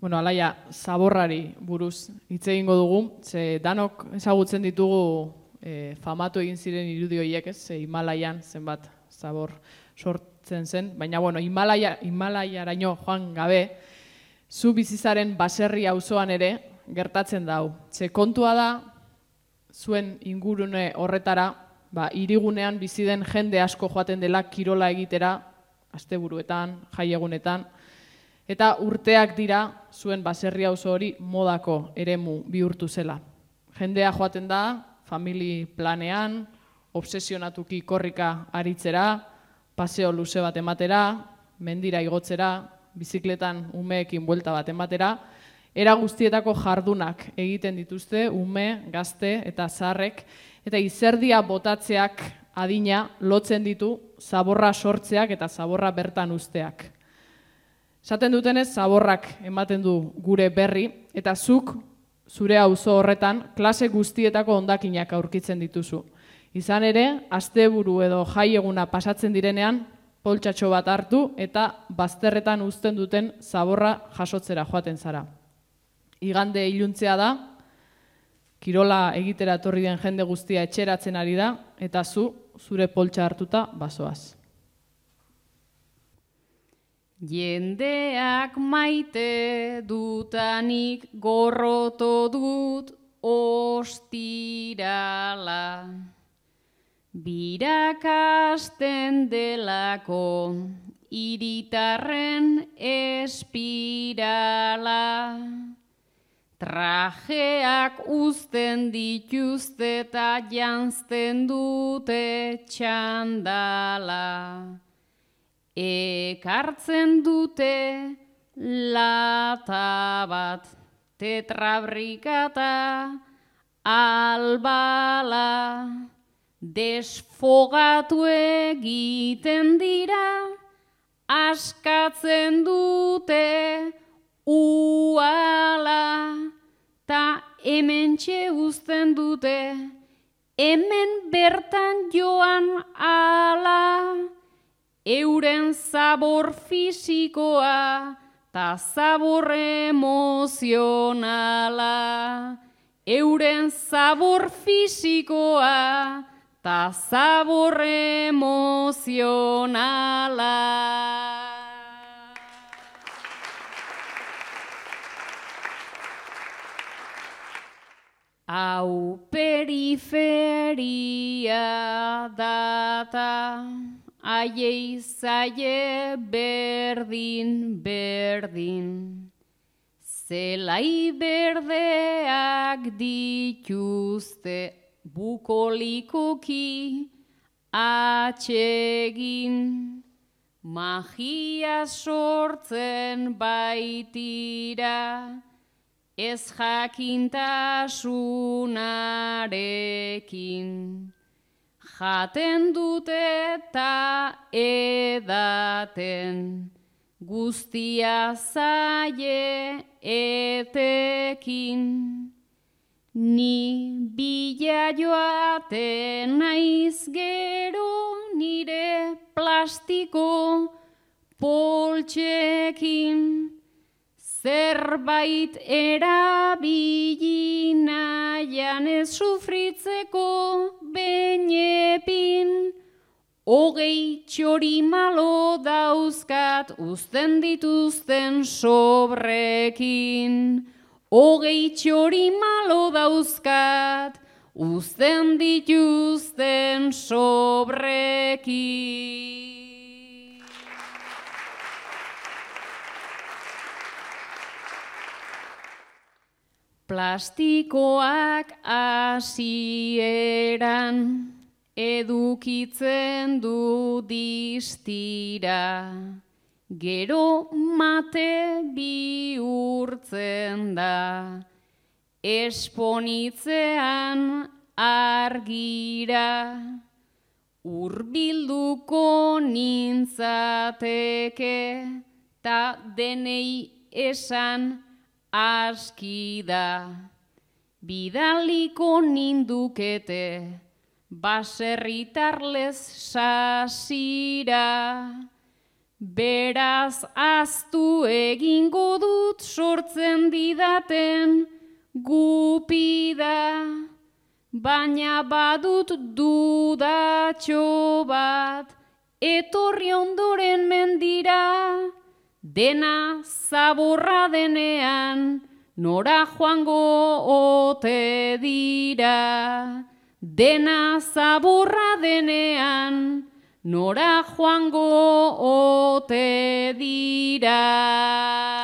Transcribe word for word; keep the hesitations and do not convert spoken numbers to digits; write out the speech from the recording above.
bueno, alaia, zaborrari buruz hitz egingo dugu, ze danok ezagutzen ditugu e, famatu egin ziren irudi horiek, ez, ze Himalaian zenbat zabor sortzen zen, baina, bueno, Himalaia, Himalaiaraino joan gabe, zu bizizaren baserri auzoan ere gertatzen dau. Ze kontua da, zuen ingurune horretara, ba, hirigunean bizi den jende asko joaten dela kirola egitera, asteburuetan, jaiegunetan, eta urteak dira zuen baserri auzo hori modako eremu bihurtu zela. Jendea joaten da, famili planean, obsesionatuki korrika aritzera, paseo luze bat ematera, mendira igotzera, bizikletan umeekin buelta bat ematera, era guztietako jardunak egiten dituzte, ume, gazte eta zaharrek, eta izerdia botatzeak adina lotzen ditu zaborra sortzeak eta zaborra bertan uzteak. Esaten dutenez, zaborrak ematen du gure berri, eta zuk, zure auzo horretan, klase guztietako hondakinak aurkitzen dituzu. Izan ere, asteburu edo jaieguna pasatzen direnean, poltsatxo bat hartu eta bazterretan uzten duten zaborra jasotzera joaten zara. Igande iluntzea da, kirola egitera etorri den jende guztia etxeratzen ari da, eta zu, zure poltsa hartuta, bazoaz. Jendeak maite dutanik gorroto dut ostirala. Birakasten delako hiritarren espirala. Trajeak uzten dituzte eta janzten dute txandala. Ekartzen dute lata bat, tetrabrikata albala. Desfogatu egiten dira, askatzen dute uala. Ta hementxe uzten dute, hemen bertan joan ala. Euren zabor fisikoa, ta zabor emozionala. Euren zabor fisikoa, ta zabor emozionala. Hau periferia data, aiei zaie berdin, berdin. Zelai berdeak dituzte bukolikoki atsegin. Magia sortzen baitira, ez jakintasunarekin. Jaten dute eta edaten, guztia zaie etekin. Ni bila joaten naiz gero nire plastiko poltsekin. Zerbait erabili nahian ez sufritzeko benepin. Hogei txori malo dauzkat uzten dituzten sobrekin. Hogei txori malo dauzkat uzten dituzten sobrekin. Plastikoak hasieran edukitzen du distira, gero mate bihurtzen da, esponitzean argira, hurbilduko nintzateke, ta denei esan aski da, bidaliko nindukete, baserritarlez sasira, Beraz aztu egingo dut sortzen didaten gupida, baina badut dudatxo bat, etorri ondoren mendira, dena zaborra denean, nora joango ote dira. Dena zaborra denean, nora joango ote dira.